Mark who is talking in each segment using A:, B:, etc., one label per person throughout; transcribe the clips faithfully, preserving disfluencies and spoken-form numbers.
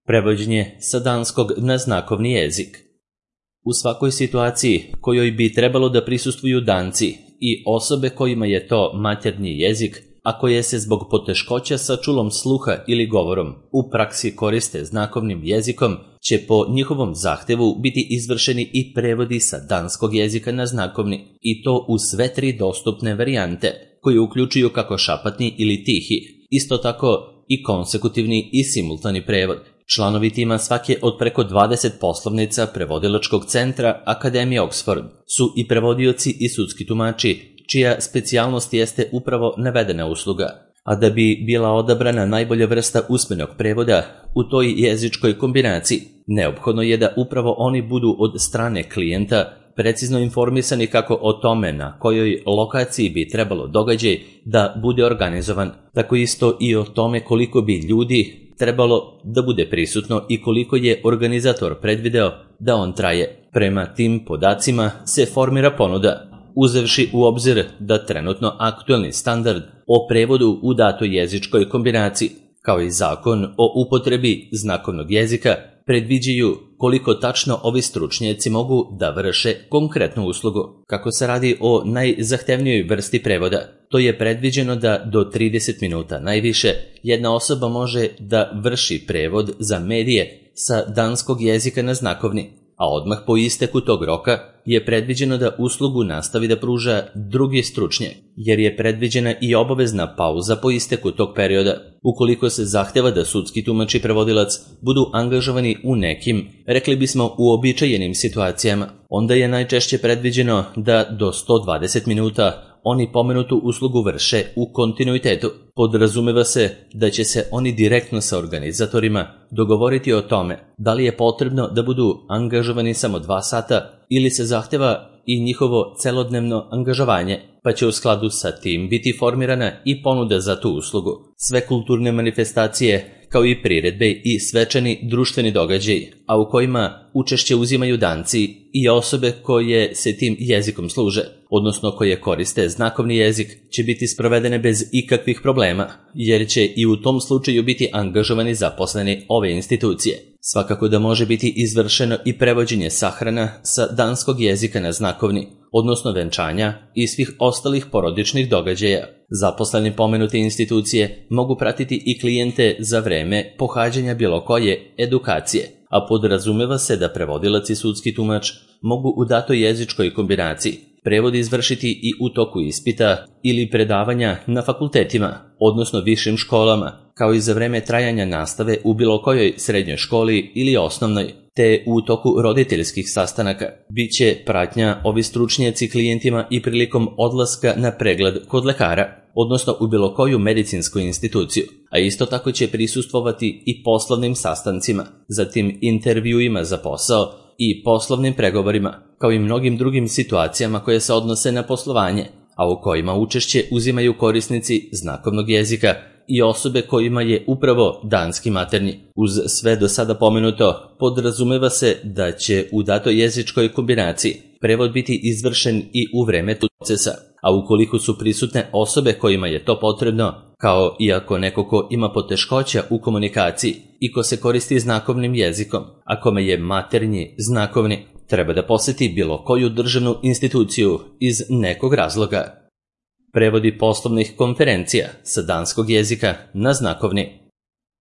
A: Prevođenje sa danskog na znakovni jezik. U svakoj situaciji kojoj bi trebalo da prisustvuju Danci i osobe kojima je to maternji jezik, a koje se zbog poteškoća sa čulom sluha ili govorom u praksi koriste znakovnim jezikom, će po njihovom zahtevu biti izvršeni i prevodi sa danskog jezika na znakovni, i to u sve tri dostupne varijante, koje uključuju kako šapatni ili tihi, isto tako i konsekutivni i simultani prevod. Članovi tima svake od preko dvadeset poslovnica prevodilačkog centra Akademije Oxford su i prevodioci i sudski tumači, čija specijalnost jeste upravo navedena usluga. A da bi bila odabrana najbolja vrsta usmenog prevoda u toj jezičkoj kombinaciji, neophodno je da upravo oni budu od strane klijenta precizno informisani kako o tome na kojoj lokaciji bi trebalo događaj da bude organizovan, tako isto i o tome koliko bi ljudi trebalo da bude prisutno i koliko je organizator predvideo da on traje. Prema tim podacima se formira ponuda, uzevši u obzir da trenutno aktuelni standard o prevodu u datoj jezičkoj kombinaciji, kao i zakon o upotrebi znakovnog jezika, predviđaju koliko tačno ovi stručnjaci mogu da vrše konkretnu uslugu. Kako se radi o najzahtevnijoj vrsti prevoda, to je predviđeno da do trideset minuta najviše jedna osoba može da vrši prevod za medije sa danskog jezika na znakovni, a odmah po isteku tog roka je predviđeno da uslugu nastavi da pruža drugi stručnjak, jer je predviđena i obavezna pauza po isteku tog perioda, ukoliko se zahteva da sudski tumač i prevodilac budu angažovani u nekim, rekli bismo, uobičajenim situacijama. Onda je najčešće predviđeno da do sto dvadeset minuta oni pomenutu uslugu vrše u kontinuitetu. Podrazumeva se da će se oni direktno sa organizatorima dogovoriti o tome da li je potrebno da budu angažovani samo dva sata ili se zahteva i njihovo celodnevno angažovanje, pa će u skladu sa tim biti formirana i ponuda za tu uslugu. Sve kulturne manifestacije, kao i priredbe i svečani društveni događaji, a u kojima učešće uzimaju Danci i osobe koje se tim jezikom služe, odnosno koje koriste znakovni jezik, će biti sprovedene bez ikakvih problema, jer će i u tom slučaju biti angažovani zaposleni ove institucije. Svakako da može biti izvršeno i prevođenje sahrana sa danskog jezika na znakovni, odnosno venčanja i svih ostalih porodičnih događaja. Zaposleni pomenute institucije mogu pratiti i klijente za vreme pohađanja bilo koje edukacije, a podrazumeva se da prevodilac i sudski tumač mogu u datoj jezičkoj kombinaciji prevod izvršiti i u toku ispita ili predavanja na fakultetima, odnosno višim školama, kao i za vreme trajanja nastave u bilo kojoj srednjoj školi ili osnovnoj, te u toku roditeljskih sastanaka. Biće pratnja ovi stručnjaci klijentima i prilikom odlaska na pregled kod lekara, odnosno u bilo koju medicinsku instituciju, a isto tako će prisustvovati i poslovnim sastancima, zatim intervjuima za posao i poslovnim pregovorima, kao i mnogim drugim situacijama koje se odnose na poslovanje, a u kojima učešće uzimaju korisnici znakovnog jezika i osobe kojima je upravo danski maternji. Uz sve do sada pomenuto, podrazumeva se da će u datoj jezičkoj kombinaciji prevod biti izvršen i u vreme procesa, a ukoliko su prisutne osobe kojima je to potrebno, kao i ako neko ko ima poteškoća u komunikaciji i ko se koristi znakovnim jezikom, a kome je maternji znakovni, treba da poseti bilo koju državnu instituciju iz nekog razloga. Prevodi poslovnih konferencija sa danskog jezika na znakovni.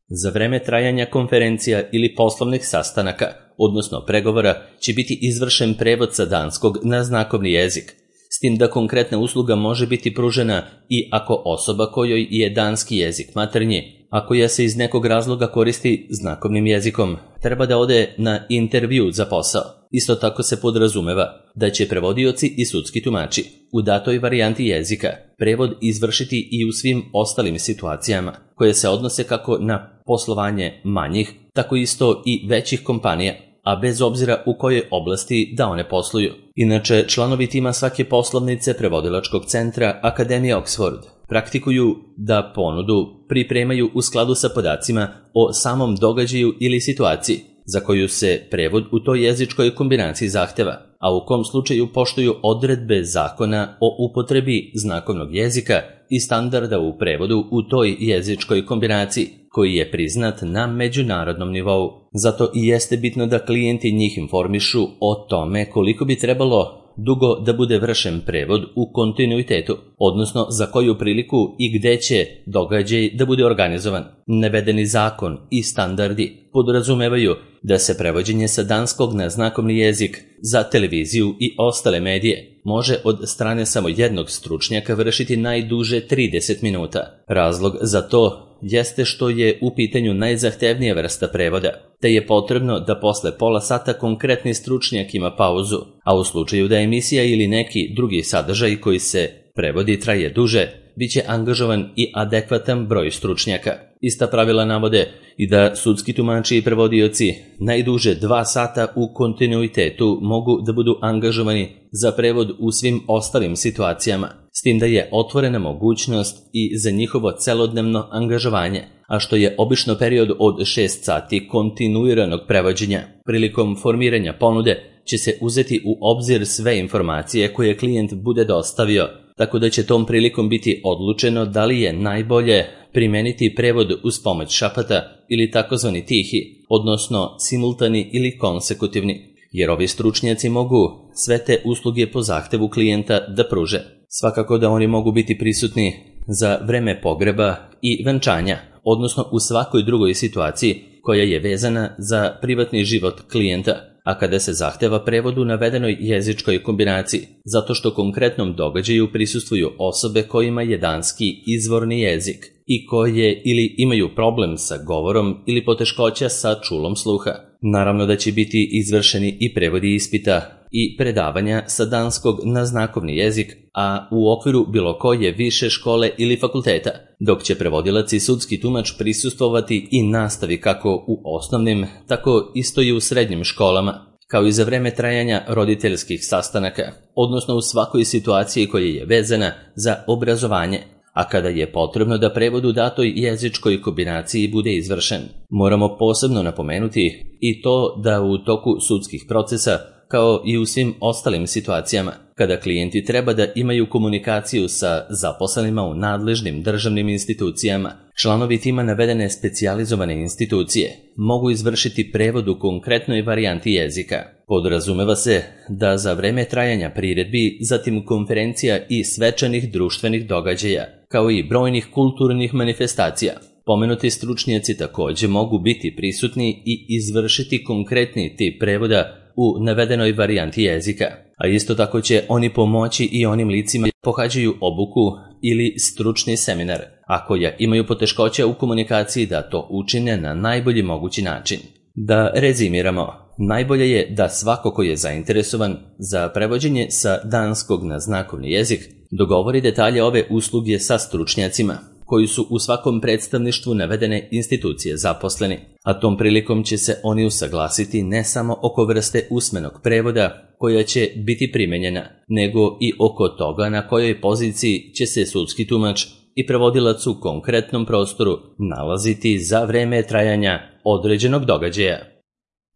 A: Za vreme trajanja konferencija ili poslovnih sastanaka, odnosno pregovora, će biti izvršen prevod sa danskog na znakovni jezik, s tim da konkretna usluga može biti pružena i ako osoba kojoj je danski jezik maternji, a koja se iz nekog razloga koristi znakovnim jezikom, treba da ode na intervju za posao. Isto tako se podrazumeva da će prevodioci i sudski tumači u datoj varijanti jezika prevod izvršiti i u svim ostalim situacijama koje se odnose kako na poslovanje manjih, tako isto i većih kompanija, a bez obzira u kojoj oblasti da one posluju. Inače, članovi tima svake poslovnice prevodilačkog centra Akademije Oxford praktikuju da ponudu pripremaju u skladu sa podacima o samom događaju ili situaciji za koju se prevod u toj jezičkoj kombinaciji zahteva, a u kom slučaju poštuju odredbe zakona o upotrebi znakovnog jezika i standarda u prevodu u toj jezičkoj kombinaciji, koji je priznat na međunarodnom nivou. Zato i jeste bitno da klijenti njih informišu o tome koliko bi trebalo dugo da bude vršen prevod u kontinuitetu, odnosno za koju priliku i gde će događaj da bude organizovan. Navedeni zakon i standardi podrazumevaju da se prevođenje sa danskog na znakovni jezik za televiziju i ostale medije može od strane samo jednog stručnjaka vršiti najduže trideset minuta. Razlog za to jeste što je u pitanju najzahtevnija vrsta prevoda, te je potrebno da posle pola sata konkretni stručnjak ima pauzu, a u slučaju da emisija ili neki drugi sadržaj koji se prevodi traje duže, bit će angažovan i adekvatan broj stručnjaka. Ista pravila navode i da sudski tumači i prevodioci najduže dva sata u kontinuitetu mogu da budu angažovani za prevod u svim ostalim situacijama, s tim da je otvorena mogućnost i za njihovo celodnevno angažovanje, a što je obično period od šest sati kontinuiranog prevođenja. Prilikom formiranja ponude će se uzeti u obzir sve informacije koje klijent bude dostavio, tako da će tom prilikom biti odlučeno da li je najbolje primeniti prevod uz pomoć šapata ili takozvani tihi, odnosno simultani ili konsekutivni, jer ovi stručnjaci mogu sve te usluge po zahtevu klijenta da pruže. Svakako da oni mogu biti prisutni za vreme pogreba i venčanja, odnosno u svakoj drugoj situaciji koja je vezana za privatni život klijenta, a kada se zahteva prevod u navedenoj jezičkoj kombinaciji, zato što konkretnom događaju prisustvuju osobe kojima je danski izvorni jezik i koje ili imaju problem sa govorom ili poteškoća sa čulom sluha. Naravno da će biti izvršeni i prevodi ispita i predavanja sa danskog na znakovni jezik, a u okviru bilo koje više škole ili fakulteta, dok će prevodilac i sudski tumač prisustvovati i nastavi kako u osnovnim, tako isto i u srednjim školama, kao i za vreme trajanja roditeljskih sastanaka, odnosno u svakoj situaciji koja je vezana za obrazovanje, a kada je potrebno da prevod u datoj jezičkoj kombinaciji bude izvršen. Moramo posebno napomenuti i to da u toku sudskih procesa, kao i u svim ostalim situacijama, kada klijenti treba da imaju komunikaciju sa zaposlenima u nadležnim državnim institucijama, članovi tima navedene specijalizovane institucije mogu izvršiti prevod u konkretnoj varijanti jezika. Podrazumeva se da za vreme trajanja priredbi, zatim konferencija i svečanih društvenih događaja, kao i brojnih kulturnih manifestacija, pomenuti stručnjaci takođe mogu biti prisutni i izvršiti konkretni tip prevoda u navedenoj varijanti jezika, a isto tako će oni pomoći i onim licima koji pohađaju obuku ili stručni seminar, a koja imaju poteškoća u komunikaciji da to učine na najbolji mogući način. Da rezimiramo, najbolje je da svako ko je zainteresovan za prevođenje sa danskog na znakovni jezik dogovori detalje ove usluge sa stručnjacima, koji su u svakom predstavništvu navedene institucije zaposleni, a tom prilikom će se oni usaglasiti ne samo oko vrste usmenog prevoda koja će biti primenjena, nego i oko toga na kojoj poziciji će se sudski tumač i prevodilac u konkretnom prostoru nalaziti za vreme trajanja određenog događaja.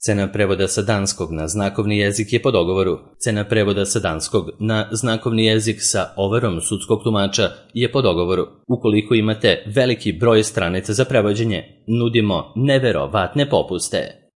A: Cena prevoda sa danskog na znakovni jezik je po dogovoru. Cena prevoda sa danskog na znakovni jezik sa overom sudskog tumača je po dogovoru. Ukoliko imate veliki broj stranica za prevođenje, nudimo neverovatne popuste.